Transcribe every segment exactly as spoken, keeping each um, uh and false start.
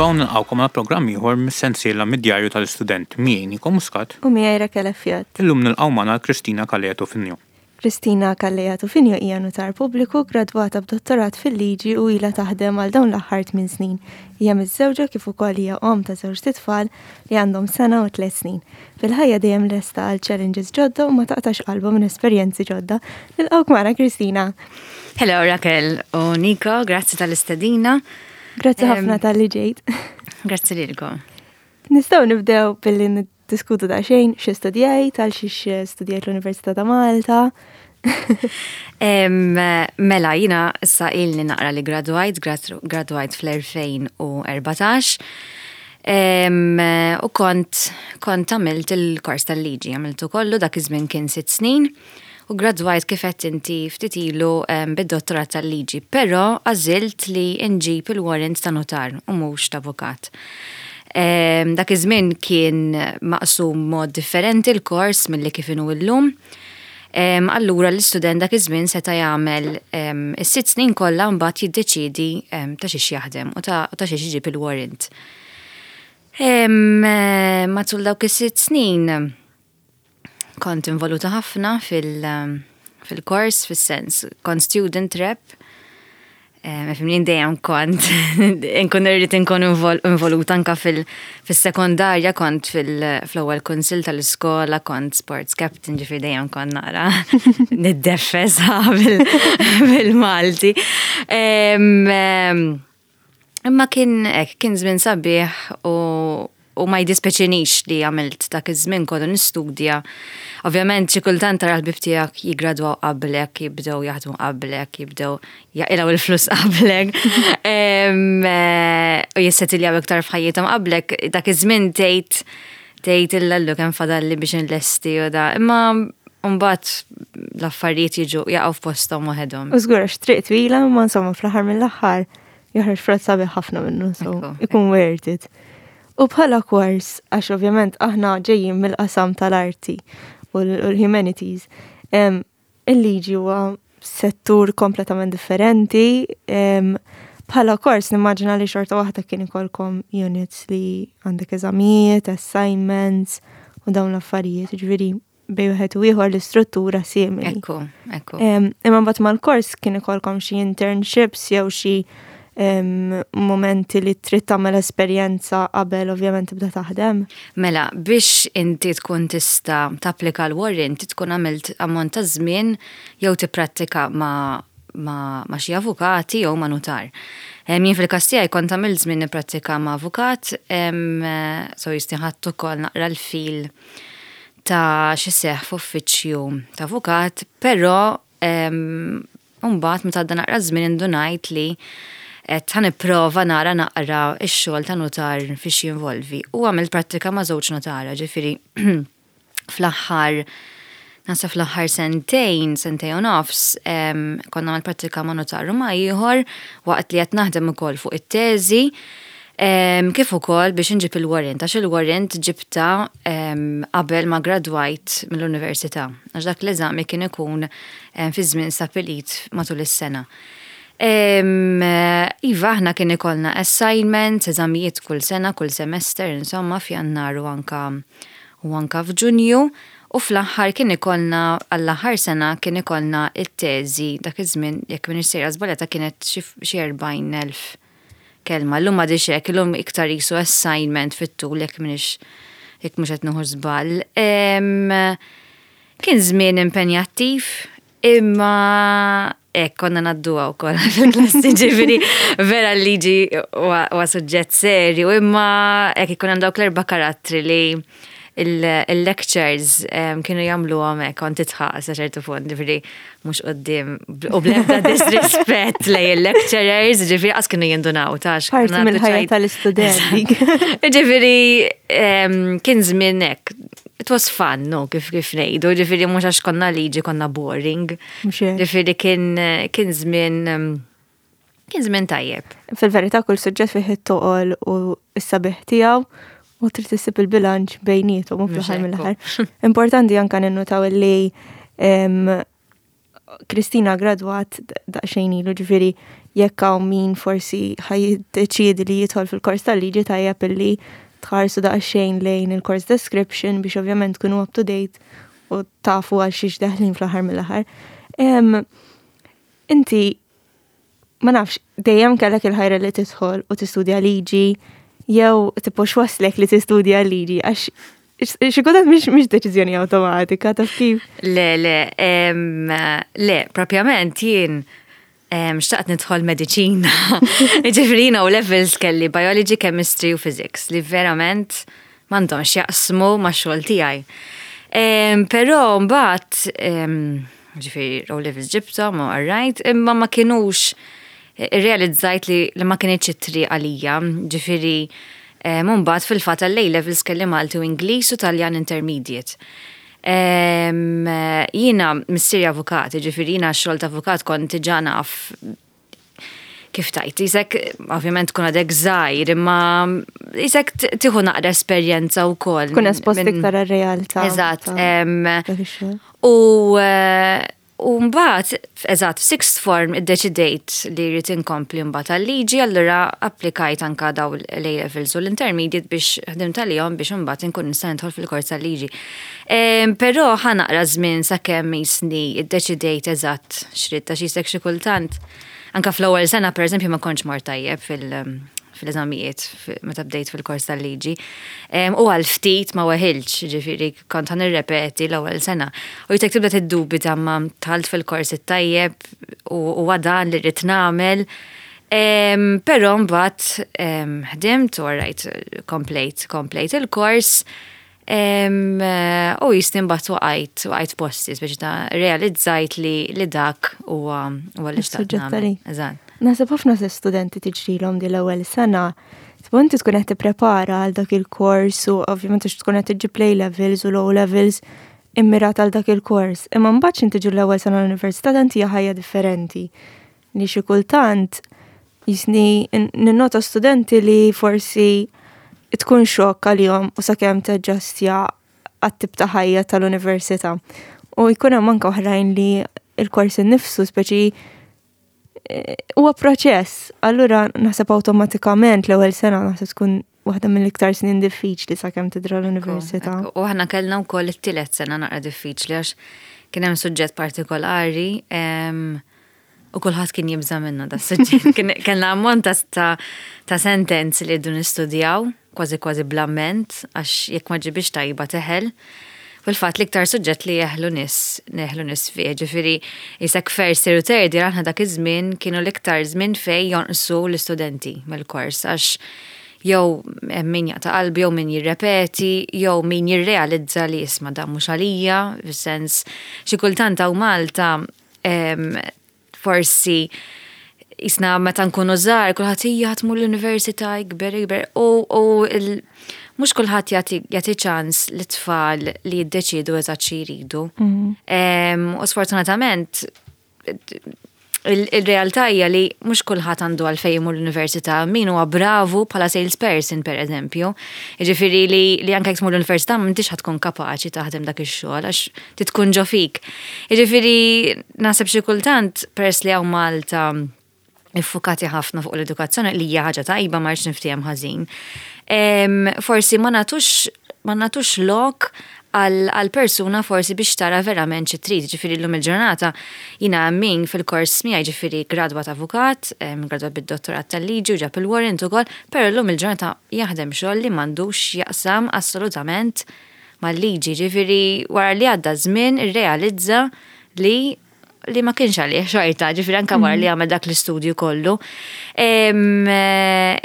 Merħba u nilqgħukom għal programm ieħor mis-sensiela mid-djarju tal-istudent miegħi Nico Muscat. U miegħi Raquel Fjat. Illum nilqgħu magħna Kristina Calleja Tufinio. Kristina Calleja Tufinio hija nutar pubbliku gradwata b'dottorat fil-liġi u ilha taħdem għal dawn l-aħħar tmien snin. Hija miżżewġa kif ukoll hija om ta' żewġ tfal li għandhom sena u tliet snin. Fil-ħajja dejjem lesta għal challenges ġodda u ma taqtax qalba minn esperjenzi ġodda. Nilqgħuk magħna, Kristina. Hello, Raquel u Nico, grazzi tal-istedina. Grazzi ħafna talli ġejt. Grazzi lilkom. Nistgħu nibdew billi niddiskutu daqsxejn xi studjajt, għal xiex studjajt l-Università ta' Malta. Mela, jiena issa ilni naqra li gradwajt, gradwajt fl-elfejn u erbatax. U kont kont għamilt il-kors tal-liġi, għamiltu kollu, dak iż-żmien kien sitt snin u gradwajt kif qed inti ftit ilu bid-dottorat tal-liġi, però għażilt li nġib il-warrant ta' notar u mhux ta' avukat. Dak iż-żmien kien maqsum mod differenti l-kors milli kif inhu llum. Allura l-istudent dak iż-żmien seta' jagħmel is-sitt snin kollha, mbagħad jiddeċiedi ta' xiex jaħdem u ta' xiex iġib il-warrant. Matul dawk is-sitt snin kont involuta ħafna fil-kors, fis-sens, kont student rep. Fimni, dejjem kont nkun irrid inkun involuta. Anka fil-sekondarja kont fil-ewwel kunsill tal-iskola, kont sports captain, ġifieri dejjem kont nara niddeffes bil-Malti. Imma kien kien żmien sabiħ u u ma jdispjaċinix li għamilt dak iż-żmien kollu nistudja. Ovvjament xi kultant tara l-ħbieb tiegħek jigradwaw qablek, jibdew jaħdmu qablek, jibdew jaqilgħu il-flus qablek u jissetiljaw iktar f'ħajjithom qablek, dak iż-żmien tgħid tgħid illallu kemm fadalli biex inlesti u da. Imma mbagħad l-affarijiet jiġu jaqgħu f'posthom waħedhom. U żgur, għax triq twila, ma insomma fl-aħħar mill-aħħar joħroġ frott sabiħ ħafna minnu, so ikun worth it. U bħala kors, għax ovvjament aħna ġejjin mill-qasam tal-arti u l-humanities, il-liġi huwa settur kompletament differenti. Bħala kors nimmaġina li xorta waħda kien ikolkom units li għandek eżamijiet, assignments u dawn l-affarijiet, ġifieri bejn wieħed u ieħor l-istruttura simili. Ekku, ekku. Imma mbagħad mal-kors kien ikolkom xi internships jew xi momenti li trid tagħmel esperjenza qabel ovvjament tibda taħdem? Mela, biex inti tkun tista' tapplika l-warrant, tkun għamilt ammont ta' żmien jew tipprattika ma' ma', ma xi avukati jew ma' nutar. Jien fil-każ tiegħi kont għamilt żmien nipprattika ma' avukat, so jisti ħadt ukoll naqra l-feel ta' x'iseħħ f'uffiċċju ta' avukat, però mbagħad meta għadda naqra żmien indunajt li qed ħa nipprova nara naqra x-xogħol ta' notar fiex jinvolvi. U għamilt prattika ma' żewġ notara, ġifieri fl-aħħar Nasa fl-aħħar sentejn, sentejn u nofs, konna għamil prattika ma' notar u ma' ieħor waqt li qed naħdem ukoll fuq it-teżi, kif ukoll biex inġib il-warrant, għax il-warrant ġibta qabel ma gradwajt mill-università, għax dak l-eżami kien ikun fi żmien stabilit matul is-sena. Iva, aħna kien ikollna assignments, eżamijiet kull sena, kull semester, insomma, f'Jannar u anka u anka f'Ġunju. U fl-aħħar kien ikollna, għall-aħħar sena kien ikollna it-teżi, dak iż-żmien, jekk m'iniex sejra żbaljata, kienet xi erbgħin elf kelma. Llum m'għadix hekk, illum iktar jisu assignment fit-tul, jekk m'iniex jekk mhux qed nieħu żball. Kien żmien impenjattiv, imma hekk konna ngħadduha wkoll fil-klassi, ġifieri vera l-liġi huwa suġġett serju, imma hekk ikun hemm dawk l-erba' karattri li il-lectures kienu jagħmlu hekk kont titħaq sa ċertu punt, ġifieri mhux quddiem u bl-ebda disrispett lejn il-lecturers, ġifieri qas kienu jindunaw tax. Parti mill-ħajja tal-istudenti. Ġifieri kien żmien hekk. It was fun, no, kif kif ngħidu, ġifieri mhux għax konna liġi konna boring. Ġifieri kien kien żmien kien żmien tajjeb. Fil-verità kull suġġett fih it-toqol u s-sabiħ tiegħu u trid issib il-bilanċ bejniethom u fl-aħħar mill-aħħar. Importanti anka ninnutaw li Kristina gradwat daqsxejn ilu, ġifieri Jekk hawn min forsi ħa jiddeċiedi li jidħol fil-kors tal-liġi, tajjeb illi tħarsu daqsxejn lejn il-course description biex ovvjament tkunu up to date u tafu għal xiex deħlin fl-aħħar mill-aħħar. Inti, ma nafx, dejjem kellek il-ħajra li tidħol u tistudja liġi, jew tipo x'wasslek li tistudja liġi, għax xi kultant mhix deċiżjoni awtomatika, taf kif? Le, le, le, propjament jien xtaqt nidħol mediċina. Ġifieri O levels kelli biology, chemistry u physics li verament m'għandhomx jaqsmu ma' xogħol tiegħi. Però mbagħad, ġifieri O levels ġibthom u right, imma ma kienux realizzajt li, li ma kinitx it-triq għalija, ġifieri mbagħad fil-fatt għall-A levels kelli Malti u Ingliż u Taljan Intermediate. Jiena missieri avukat, ġifieri jiena xogħol ta' avukat kont diġà naf kif tajt, jisek, ovvjament kun għadek żgħir, imma jisek tieħu naqra esperjenza u kollox. Kun espost iktar realtà. Eżatt. U U mbagħad, eżatt, sixth form iddeċidejt li rrid inkompli mbagħad għal-liġi, allura applikajt anka daw l-A levels u l-intermediate biex ħdimt għalihom biex imbagħad inkun nista' nidħol fil-kors tal-liġi. Però ħa naqra żmien sakemm jisni iddeċidejt eżatt x'ridt, għax jisek xi kultant. Anka fl-ewwel sena, pereżempju, ma kontx mort tajjeb fil- fil-eżamijiet meta bdejt fil-kors tal-liġi. U għal ftit ma weħilx, ġifieri kont ħa nirrepeti l-ewwel sena. U jitek tibda tiddubita ma dħalt fil-kors it-tajjeb u għadan li rrid nagħmel. Però mbagħad ħdimt u rajt komplejt, komplejt il-kors. U jisni mbagħad waqajt, waqajt posti, biex ta' realizzajt li, li dak huwa huwa li xtaqt nagħmel. Eżatt. Naħseb ħafna studenti tiġrilhom di l-ewwel sena. Tipo inti tkun qed tipprepara għal dak il-kors u ovvjament għax tkun qed iġġib A levels u l-O levels immirat għal dak il-kors. Imma mbagħad x'inti tiġi l-ewwel sena l-università, dan hija ħajja differenti. Li xi kultant jisni ninnota studenti li forsi tkun xokk għalihom u sakemm taġġastja għat-tip ta' ħajja tal-università. U jkun hemm anke oħrajn li il-kors innifsu speċi huwa proċess. Allura naħseb awtomatikament l-ewwel sena naħseb tkun waħda mill-iktar snin diffiċli sakemm tidra l-università. U aħna kellna wkoll it-tielet sena naqra diffiċli għax kien hemm suġġett partikolari u kulħadd kien jibża' minnu da suġġett. Kellna ammont ta' ta' sentenzi li rridu nistudjaw, kważi kważi bl-amment, għax jekk ma ġibix tajba teħel. Fil-fatt l-iktar suġġett li jeħlu nies, jeħlu nies fih, ġifieri jisek first year u third year aħna dak iż-żmien kienu l-iktar żmien fej jonqsu l-istudenti mill-kors, għax jew min jaqta' qalbi, jew min jirrepeti, jew min jirrealizza li isma' dan mhux għalija, fis-sens xi kultant hawn Malta forsi jisna meta nkunu żgħar kulħadd hija tmur l-università, ikber ikber u u mhux kulħadd jagħti ċans lit-tfal li jiddeċiedu eżatt xi jridu. Mhm. U sfortunatament il-realtà hija li mhux kulħadd għandu għalfejn imur l-università, min huwa bravu bħala salesperson, per eżempju. Jiġifieri li, li anke jekk tmur l-università m'intix ħa tkun kapaċi taħdem dak ix-xogħol għax titkun ġo fik. Jiġifieri naħseb xi kultant, peress li hawn Malta iffukati ħafna fuq l-edukazzjoni, li hija ħaġa tajba, ma rridx niftiehem ħażin. Forsi ma nagħtux ma nagħtux lok għal persuna forsi biex tara verament xi trid. Ġifieri llum il-ġurnata jiena min fil-kors miegħi, ġifieri gradwat avukat, gradwat bid-dottorat tal-liġi u ġab il-warrant ukoll, però llum il-ġurnata jaħdem xogħol li m'għandux jaqsam assolutament mal-liġi. Ġifieri wara li għadda żmien irrealizza li li ma kienx għalih xorta, ġifieri anka wara li għamel dak l-istudju kollu.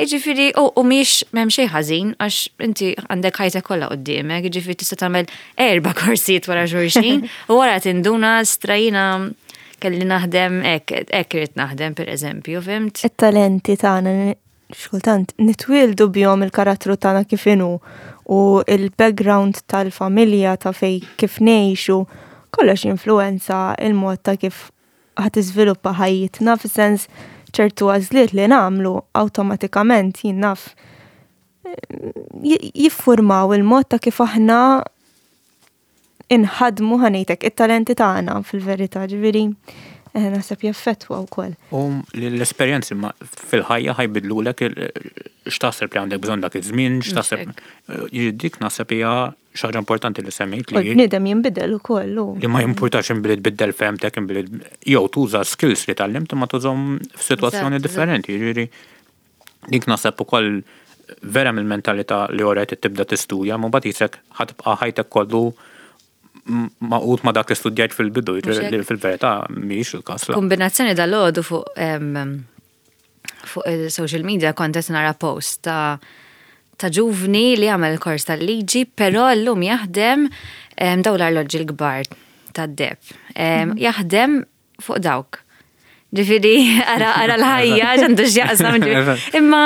Ġifieri, u miex m'hemm xejn ħażin, għax inti għandek ħajtek kollha quddiemek, ġifieri tista' tagħmel erba' korsijiet wara xulxin, u wara tinduna strajina kelli naħdem hekk, hekk irid naħdem, per eżempju, fhimt? It-talenti tagħna xkultant nitwieldu bihom, il-karattru tagħna kif inhu u il-background tal-familja ta' fej kif ngħixu, kollox influenza il-mod ta' kif ħa tiżviluppa ħajjitna, fis-sens ċertu għażliet li nagħmlu awtomatikament jien naf jiffurmaw il-mod ta' kif aħna inħadmu, ħa ngħidlek, it-talenti tagħna fil-verità, ġifieri. Eh, naħseb jaffettwa wkoll. U l-esperjenzi fil-ħajja ħa jbiddlulek x'taħseb li għandek bżonn dak iż-żmien, x'taħseb dik naħseb hija xi ħaġa importanti li semmejt li. Bniedem jinbidel ukoll. Li ma jimpurtax inbidel tbiddel fehmtek inbidel jew tuża skills li tgħallimt imma tużhom f'sitwazzjoni differenti. Jiġifieri dik naħseb ukoll vera mill-mentalità li orajt tibda tistudja, ma mbagħad jisek ħa tibqa' ħajtek kollu magħqud ma dak li studjajt fil-bidu, li fil-verità mhijiex il-każ. Kombinazzjoni dal-għodu fuq fuq il-social media kont qed nara post ta' ta' ġuvni li għamel kors tal-liġi, però llum jaħdem daw l-arloġġi l-kbar tad-deheb. Mhm. Jaħdem fuq dawk. Ġifieri, ara, ara l-ħajja, x'għandu x'jaqsam. Imma,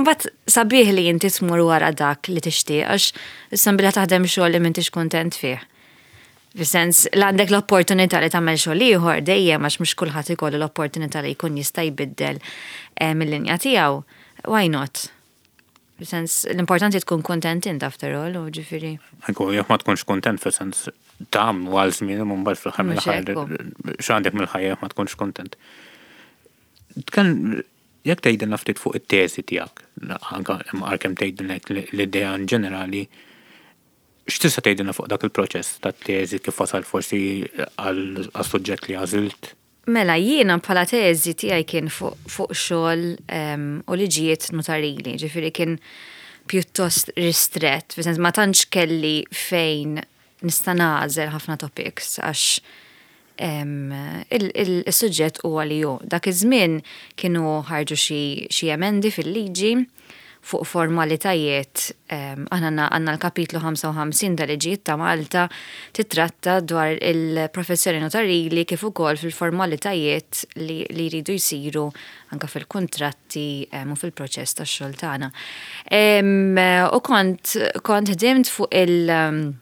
mbagħad sabiħ li inti tmur wara dak li tixtieq, għax issa billi taħdem xogħol li m'intix kontent fih. Fis-sens, l għandek l-opportunità li tagħmel xogħol ieħor dejjem għax mhux kulħadd ikollu l-opportunità li jkun jista' jbiddel eh, mill-linja tiegħu. Why not? Fis-sens, l-importanti tkun kontent int after all, u ġifieri. Ekku, jekk ma tkunx kontent fis-sens tam għal żmien u mbagħad fl-aħħar mill-aħħar x'għandek mill-ħajja ma tkunx kontent. Tkan jekk tgħidilna ftit fuq it-teżi tiegħek, anke għalkemm tgħidilna l-idea in ġenerali, x'tista' tgħidilna fuq dak il-proċess tat-teżi kif wasal forsi għal suġġett li għażilt? Mela, jiena bħala teżi tiegħi kien fuq fuq xogħol u liġijiet notarili, ġifieri kien pjuttost ristret, fis ma tantx kelli fejn nista' nagħżel ħafna topics għax il-suġġett huwa li hu. Dak iż-żmien kienu ħarġu xi emendi fil-liġi fuq formalitajiet. Aħna għandna l-kapitlu ħamsa u ħamsin tal-liġijiet ta' Malta titratta dwar il-professjoni notarili kif ukoll fil-formalitajiet li, li jridu jsiru anka fil-kontratti u fil-proċess tax-xogħol tagħna. U kont kont ħdimt fuq il-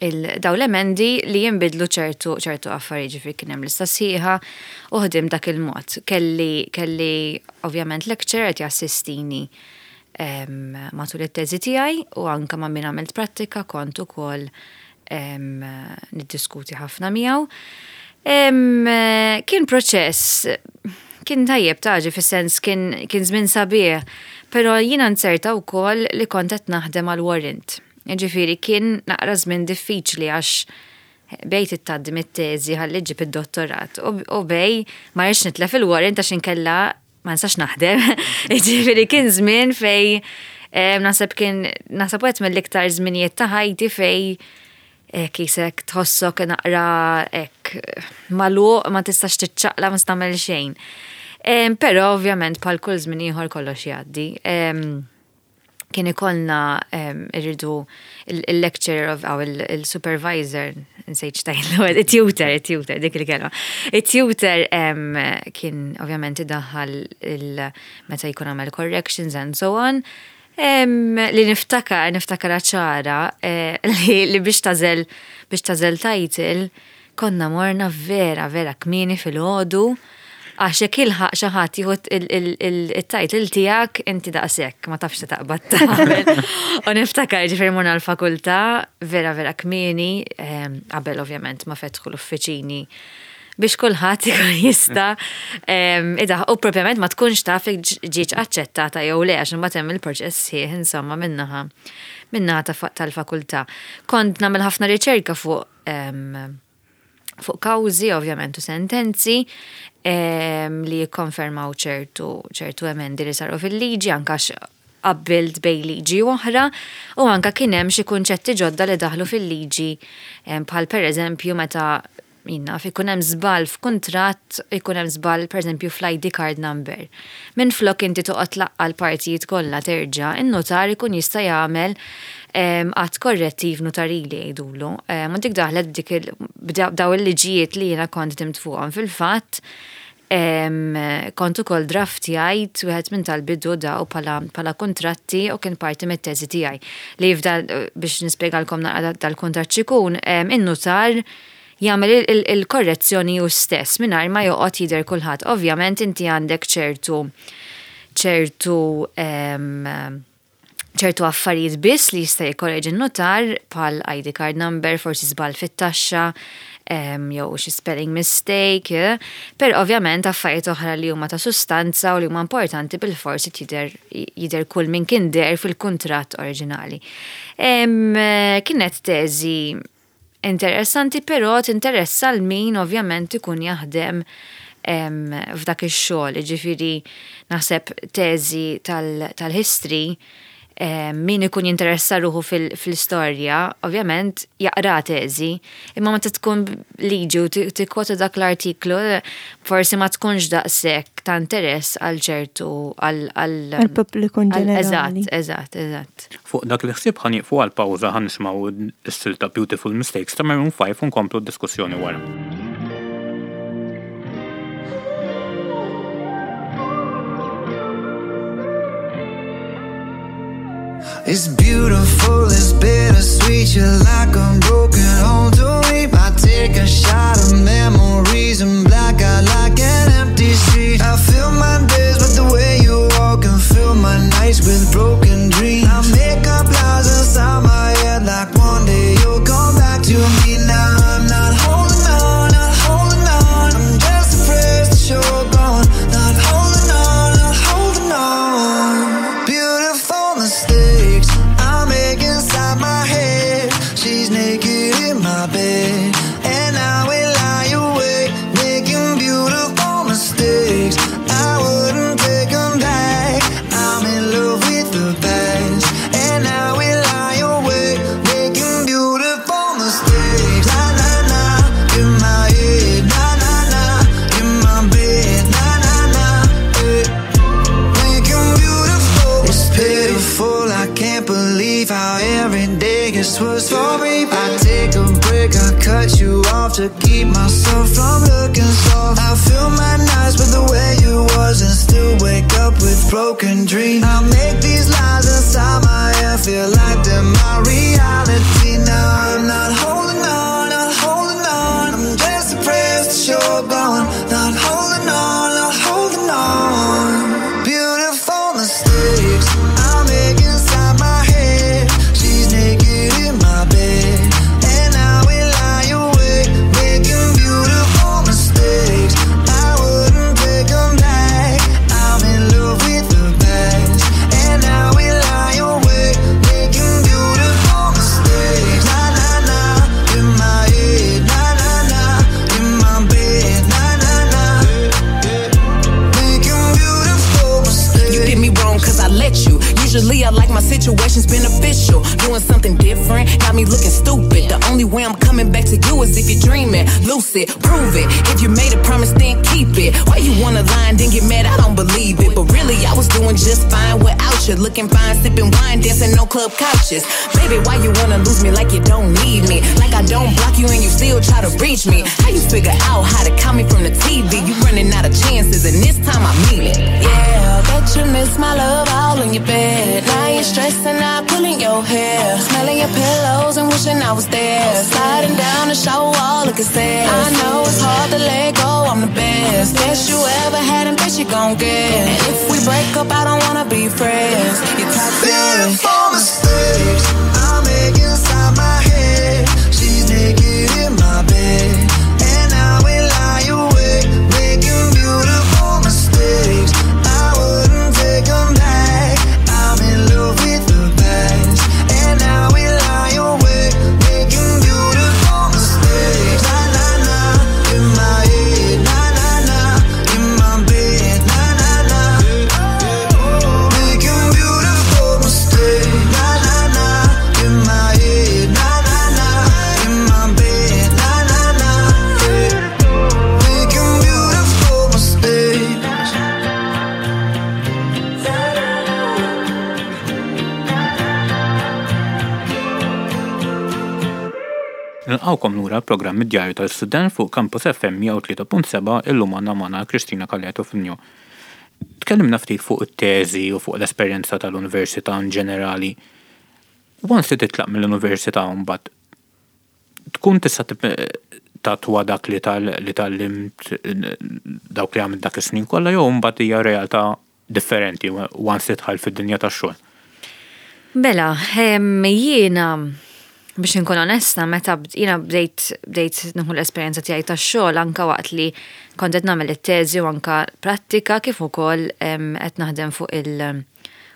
il daw l-emendi li jinbidlu ċertu ċertu affarijiet, ġifieri kien hemm lista sħiħa u ħdim dak il-mod. Kelli kelli ovvjament lecturer qed jassistini matul it-teżi tiegħi u anka ma' min għamilt prattika kont ukoll niddiskuti ħafna miegħu. Kien proċess kien tajjeb taġi fis-sens kien kien żmien sabiħ, però jiena nzerta wkoll li kont qed naħdem għal warrant. Ġifieri kien naqra żmien diffiċli għax bejn tgħaddi mit-teżi ħalli ġib id-dottorat u bejn ma rridx nitlef il-warrant għax inkella ma nistax naħdem. Ġifieri kien żmien fej naħseb kien naħseb wieħed mill-iktar żminijiet ta' ħajti fej kisek tħossok naqra ek magħluq, ma tistax tiċċaqlaq, ma tagħmel xejn. Però ovvjament bħal kull żmien ieħor kollox jgħaddi. Kien ikollna irridu il-lecturer of aw il-supervisor, nsejt x'tgħidlu, il-tutor, il-tutor, dik il-kelma. Il-tutor kien ovvjament idaħħal meta jkun għamel corrections and so on. Li niftakar, niftakar ċara, eh, li biex tagħżel biex tagħżel title, konna morna vera, vera kmieni filgħodu, għax jekk ilħaq xi ħadd jieħu il-title tiegħek inti daqshekk ma tafx taqbad tagħmel. U niftakar ġifieri morna l-fakultà vera vera kmieni, qabel ovvjament ma fetħu l-uffiċini biex kulħadd ikun jista' idaħ u propjament ma tkunx taf ġietx aċċettata jew le għax imbagħad hemm il-proċess sħiħ insomma minnaħa minnaħa tal-fakultà. Kont nagħmel ħafna riċerka fuq fuq kawżi ovvjament u sentenzi li jikkonfermaw ċertu ċertu emendi li saru fil-liġi anka qabbilt bejn liġi oħra u anka kien hemm xi kunċetti ġodda li daħlu fil-liġi bħal pereżempju meta jinna ikun hemm żball f'kuntratt, ikun hemm żball pereżempju fl-I D card number. Minn flok inti toqgħod tlaqqa l-partijiet kollha terġa', in-notar ikun jista' jagħmel att korrettiv notarili jgħidulu. U dik daħlet b'dik b'daw il-liġijiet li jiena kont ħdimt fuqhom fil-fatt. Kont ukoll draftjajt wieħed minn tal-bidu daw bħala kontratti u kien parti mit-teżi tiegħi. Li jifda biex nispjegalkom naqra dal-kuntratt x'ikun, in-notar jagħmel il-korrezzjoni hu stess mingħajr ma joqgħod jidher kulħadd. Ovvjament inti għandek ċertu ċertu Ċertu affarijiet biss li jista' jikkoreġi n-notar bħal I D card number, forsi żball fit-taxxa, jew xi spelling mistake, eh, per ovvjament affarijiet oħra li huma ta' sustanza u li huma importanti bil-forsi jidher jidher kull min kien der fil-kuntratt oriġinali. Kienet teżi interessanti, però tinteressa l min ovvjament ikun jaħdem f'dak ix-xogħol, jiġifieri naħseb teżi tal-history, min ikun jinteressa ruħu fil-istorja, ovvjament jaqra teżi, imma meta tkun liġi u tikkwota dak l-artiklu, forsi ma tkunx daqshekk ta' interess għal ċertu għal pubbliku ġenerali. Eżatt, eżatt, eżatt. Fuq dak li ħsieb ħa nieqfu għal pawża, ħa nisimgħu s-silta Beautiful Mistakes ta' Maroon five u nkomplu d-diskussjoni wara. It's beautiful, it's bittersweet. You're like a broken home to me. I take a shot of memories and black out like an empty street. I fill my days with the way you walk and fill my nights with broken dreams. I make up lies inside my head like one day you'll come back to me. Now I'm not holding on, not holding on. I'm just afraid that you're gone. Not holding on, not holding on. Beautiful mistakes I make inside my head. She's naked in my bed, and I will lie awake making beautiful mistakes. I wouldn't take 'em back. I'm in love with the past, and I will lie awake making beautiful mistakes. Na na na, in my head, na na na, in my bed, na na na. Hey. Making beautiful. It's pitiful, I can't believe how every day gets worse for me. I take a break, I cut you off to keep myself from looking soft. I fill my nights with the way you was and still wake up with broken dreams. I make these lies inside my head feel like they're my reality. Now I'm not holding on, not holding on. I'm just depressed that you're gone. Not holding on, not holding on. Beautiful mistakes I make inside my head. She's naked in my bed, and I will lie awake making beautiful mistakes. I wouldn't take 'em back. I'm in love with the past, and I will lie awake making beautiful mistakes. Na na na, in my head, na na na, in my bed, na na na. Making beautiful mistakes. You did me wrong 'cause I let you. Usually I like my situations beneficial. Doing something different got me looking stupid. The only way I'm coming back to you is if you're dreaming. Lucid, prove it. If you made a promise, then keep it. Why you wanna lie and then get mad? I don't believe it. But really, I was doing just fine without you. Looking fine, sipping wine, dancing on club couches. Baby, why you wanna lose me like you don't need me? Like I don't block you and you still try to reach me. How you figure out how to call me from the T V? You running out of chances, and this time I mean it. Yeah, bet you miss my love all in your bed. Now you're stressing out, pulling your hair, smelling your pillows and wishing I was there. Sliding down the shower wall, looking sad. I know it's hard to let go, I'm the best. Best you ever had and best you gon' get. And if we break up, I don't wanna be friends. You're toxic. Beautiful mistakes I make inside my head. She's naked in my bed, and I will lie awake making beautiful mistakes. I wouldn't take 'em back. I'm in love with the past, and I will lie awake making beautiful mistakes. Na na na, in my head, na na na, in my bed, na na na. Making beautiful mistakes. Na na na, in my head, na na na, in my bed, na na na. Making beautiful mistakes. Nilqgħukom lura l-programm id-Djarju tal-Student fuq Campus F M mija u tlieta punt seba'. Illum għandna magħna Kristina Calleto Fugno. Tkellimna ftit fuq it-teżi u fuq l-esperjenza tal-università in ġenerali. Once li titlaq mill-università, mbagħad tkun tista' tattwa dak li tal li tgħallimt, dawk li għamilt dak is-snin kollha, jew mbagħad hija realtà differenti once li dħalt fid-dinja tax-xogħol? Mela, jiena biex nkun onesta, meta jiena bdejt bdejt nieħu l-esperjenza tiegħi tax-xogħol anka waqt li kont qed nagħmel it-teżi u anka prattika kif ukoll qed naħdem fuq il-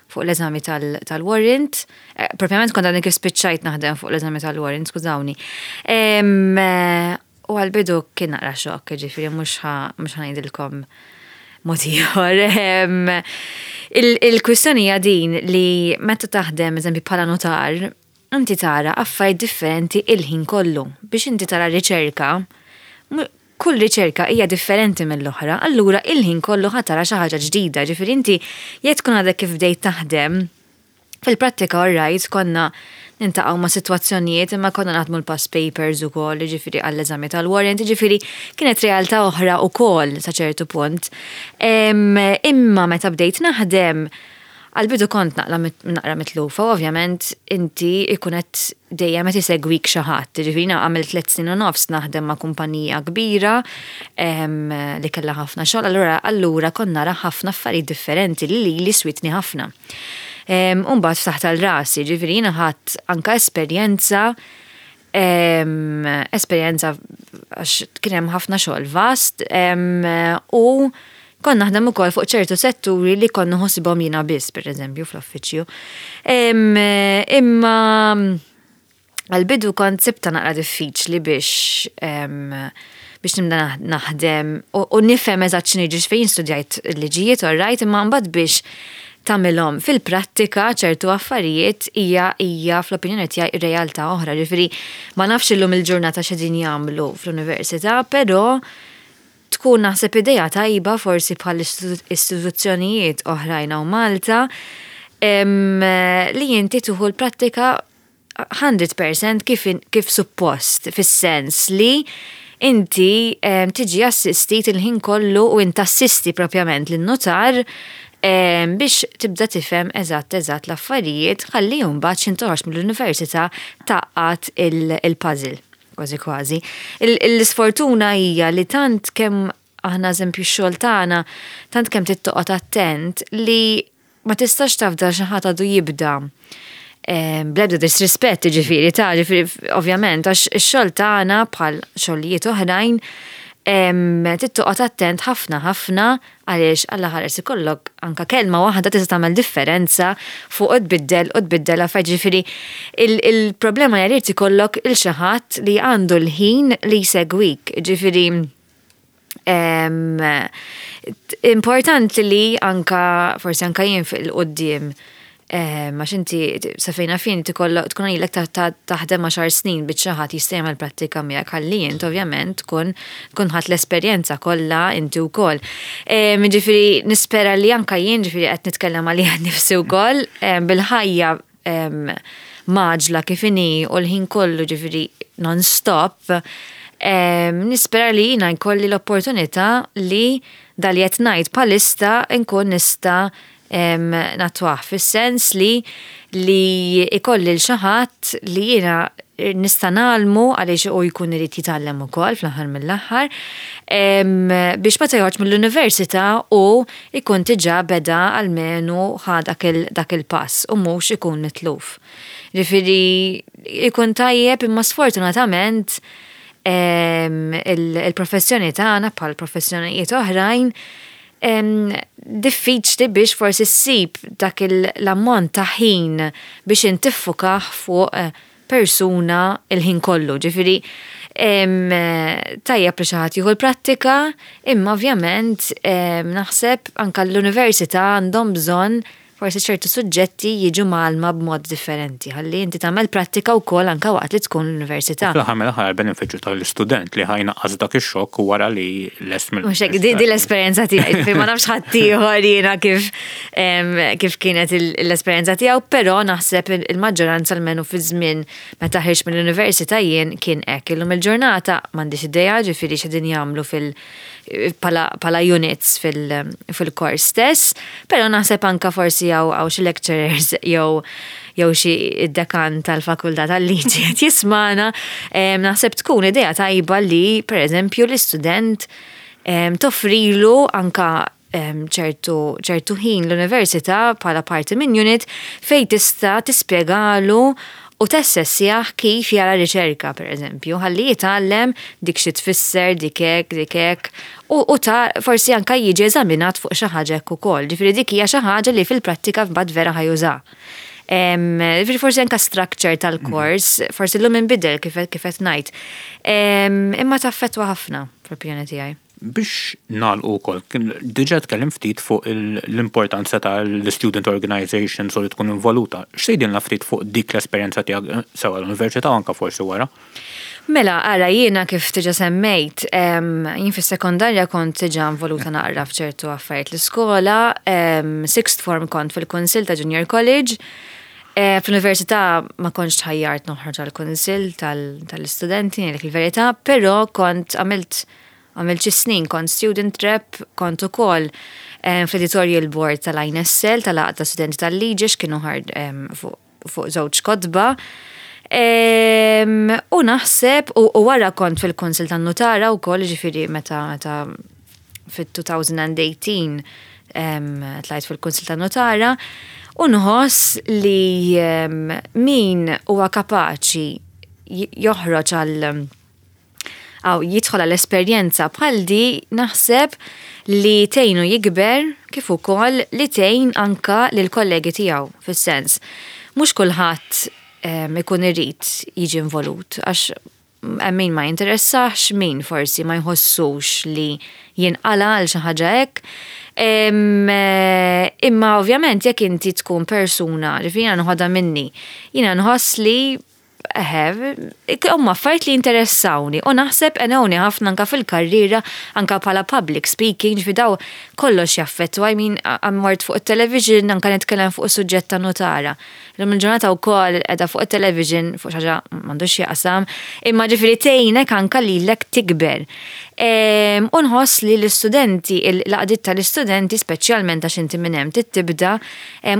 fuq l-eżami tal-warrant. Eh, propjament kont għadni kif spiċċajt naħdem fuq l-eżami tal-warrant, skużawni. U għal-bidu kien naqra xokk, ġifieri mhux ħa ngħidilkom mod ieħor. Il-kwistjoni hija din li meta taħdem eżempju bħala notar, inti tara affarijiet differenti il-ħin kollu. Biex inti tara riċerka, kull riċerka hija differenti mill-oħra, allura il-ħin kollu ħa tara xi ħaġa ġdida, ġifieri inti jekk tkun għadek kif bdejt taħdem, fil-prattika alright konna niltaqgħu ma' sitwazzjonijiet imma konna naħdmu l-past papers ukoll, ġifieri għall-eżami tal-warrant, ġifieri kienet realtà oħra ukoll sa ċertu punt. Imma meta bdejt naħdem, għal-bidu kont naqra mitlufa, ovvjament inti ikun qed dejjem qed isegwik xi ħadd. Ġifieri għamilt tliet snin u nofs naħdem ma' kumpanija kbira li kellha ħafna xogħol, allura allura kont nara ħafna affarijiet differenti li li switni ħafna. U mbagħad ftaħt għal rasi, ġifieri jiena ħadt anka esperjenza esperjenza għax kien hemm ħafna xogħol vast u kont naħdem ukoll fuq ċertu setturi li kont nħossibhom jiena biss, pereżempju, fl-uffiċċju. Imma għal-bidu kont sibtha naqra diffiċli biex biex nibda naħdem u nifhem eżatt x'inhi fejn studjajt il-liġijiet, all right, imma mbagħad biex tagħmilhom fil-prattika ċertu affarijiet hija hija fl-opinjoni tiegħi realtà oħra. Ġifieri ma nafx illum il-ġurnata x'qegħdin jagħmlu fl-università, però tkun naħseb idea tajba forsi bħal istituzzjonijiet oħrajn hawn Malta li inti tieħu l-prattika mija fil-mija kif, kif suppost, fis-sens li inti tiġi assistit il-ħin kollu u inti assisti propjament lin-notar biex tibda tifhem eżatt eżatt l-affarijiet ħalli mbagħad x'ħin toħroġ mill-università tgħaqqad il-puzzle kważi kważi. L-isfortuna hija li tant kemm aħna eżempju x-xogħol tagħna, tant kemm trid toqgħod attent li ma tistax tafda xi ħadd għadu jibda. Bl-ebda disrispett ġifieri ta' ġifieri ovvjament għax ix-xogħol tagħna bħal xogħlijiet oħrajn trid toqgħod attent ħafna ħafna għaliex Alla ħares ikollok anka kelma waħda tista' tagħmel differenza fuq u tbiddel u tbiddel affarijiet ġifieri il-problema hija li ikollok il xi ħadd li għandu l-ħin li jsegwik. Ġifieri importanti li anka forsi anka jien fil-quddiem għax inti sa fejna fin tkun ilek taħdem għaxar snin biex xi ħadd jista' jagħmel prattika miegħek ħalli int ovvjament tkun tkun ħadt l-esperjenza kollha inti wkoll. Ġifieri nispera li anka jien ġifieri qed nitkellem għalija nnifsi wkoll bil-ħajja mgħaġġla kif inhi u l-ħin kollu ġifieri non-stop. Nispera li jiena jkolli l-opportunità li dak li qed ngħid bħalissa nkun nista' nattwah fis-sens li li ikolli l xi ħadd li jiena nista' ngħallmu għaliex u jkun irid jitgħallem ukoll fl-aħħar mill-aħħar biex meta joħroġ mill-università u jkun diġà beda almenu ħa dak il-pass u mhux ikun mitluf. Ġifieri ikun tajjeb imma sfortunatament il-professjoni tagħna bħal professjonijiet oħrajn diffiċli biex forsi ssib dak l-ammont ta' ħin biex inti tiffoka fuq persuna il-ħin kollu. Ġifieri tajjeb li xi ħadd jieħu l-prattika, imma ovvjament naħseb anka l-università għandhom bżonn forsi ċertu suġġetti jiġu mgħallma b'mod differenti, ħalli inti tagħmel prattika wkoll anka waqt li tkun l-università. Fl-aħħar mill-aħħar benefiċċju tal-istudent li ħa jnaqqas dak ix-xokk wara li lest mill. Mhux hekk, di l-esperjenza tiegħi, fejn ma nafx ħaddieħor jiena kif kif kienet l-esperjenza tiegħu, però naħseb il-maġġoranza almenu fi żmien meta ħriġt mill-università jien kien hekk. Illum il-ġurnata m'għandix idea ġifieri x'qegħdin jagħmlu fil- pala units fil-kors stess, pero naħseb anka forsi hawn xi lecturers jew jew xi id-dekan tal-fakultà tal-liġi qed jismana, naħseb tkun idea tajba li pereżempju l-istudent toffrilu anka ċertu ċertu ħin l-università bħala parti minn unit fejn tista' tispjegalu u tassessjah kif jara riċerka, per eżempju, ħalli jitgħallem dik xi tfisser, dik hekk, dik hekk, u, u ta' forsi anka jiġi eżaminat fuq xi ħaġa hekk ukoll. Ġifieri dik hija xi ħaġa li fil-prattika mbagħad vera ħa juża. Ġifieri forsi anka structure tal-kors, forsi llum inbidel kif kif qed ngħid. Imma taffettwa ħafna fl-opinjoni tiegħi. Biex nagħlqu wkoll, diġà tkellim ftit fuq l-importanza tal-student organizations u li tkun involuta. X'tgħidilna ftit fuq dik l-esperjenza tiegħek sewa l-università anka forsi wara? Mela, ara, jiena kif diġà semmejt, jien fis-sekondarja kont diġà involuta naqra f'ċertu affarijiet l-iskola, sixth form kont fil-Kunsill ta' Junior College, eh, fl-università ma kontx tħajjart noħroġ għal-kunsill tal-istudenti, ngħidlek il-verità, però kont għamilt għamilt xi snin kont student rep, kont ukoll fl-editorial board tal-I N S L, tal-Għaqda Studenti tal-Liġi, kienu ħard fuq żewġ kotba. U naħseb, u wara kont fil-Kunsill tan-Nutara wkoll, ġifieri meta meta fit-elfejn u tmintax tlajt fil-Kunsill tan-Nutara, u nħoss li min huwa kapaċi joħroġ għal għaw jidħol għall-esperjenza bħal di, naħseb li tgħinu jikber kif ukoll li tgħin anka lil kollegi tiegħu, fis-sens. Mhux kulħadd ikun irid jiġi involut għax min ma jinteressax, min forsi ma jħossux li jinqala għal xi ħaġa hekk. Imma ovvjament jekk inti tkun persuna, ġifieri jiena nħodha minni, jiena nħoss li eħe, huma affarijiet li interessawni u naħseb għenuni ħafna anka fil-karriera, anka bħala public speaking, ġifieri daw kollox jaffettwa, I mean, mort fuq il-television, anka nitkellem fuq suġġett ta' notara. Illum il-ġurnata wkoll qiegħda fuq il-television, fuq xi ħaġa m'għandux jaqsam, imma ġifieri tgħinek anka lilek tikber. U nħoss li l-istudenti, l-għaqdiet tal-istudenti, speċjalment għax inti minn hemm tibda,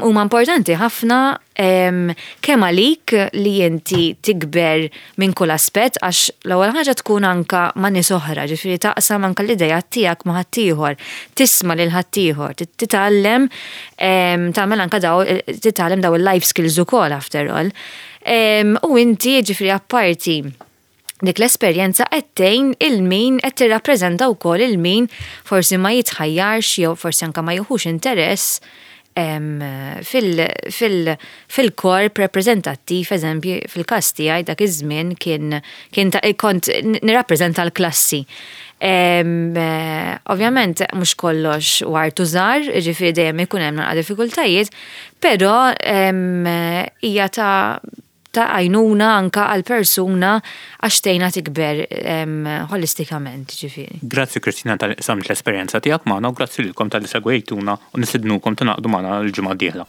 huma importanti ħafna kemm għalik li inti tikber minn kull aspett, għax l-ewwel ħaġa tkun anka ma' nies oħra, ġifieri taqsam anka l-idea tiegħek ma' ħaddieħor, tisma' lil ħaddieħor, titgħallem tagħmel anka daw titgħallem daw il-life skills ukoll after all. U inti ġifieri apparti dik l-esperjenza qed tgħin il-min qed tirrappreżenta wkoll il-min forsi ma jitħajjarx jew forsi anka ma jieħux interess fil-korp rappreżentattiv, eżempju, fil-każ tiegħi dak iż-żmien kien kien kont nirrappreżenta l-klassi. Ovvjament mhux kollox ward u żahar, ġifieri dejjem ikun hemm naqra diffikultajiet, però hija ta' ta' għajnuna anka għal persuna għax tgħinha tikber holistikament, ġifieri. Grazzi, Kristina, talli qsamt l-esperjenza tiegħek magħna u grazzi lilkom talli segwejtuna u nistednukom tingħaqdu magħna l-ġimgħa d-dieħla.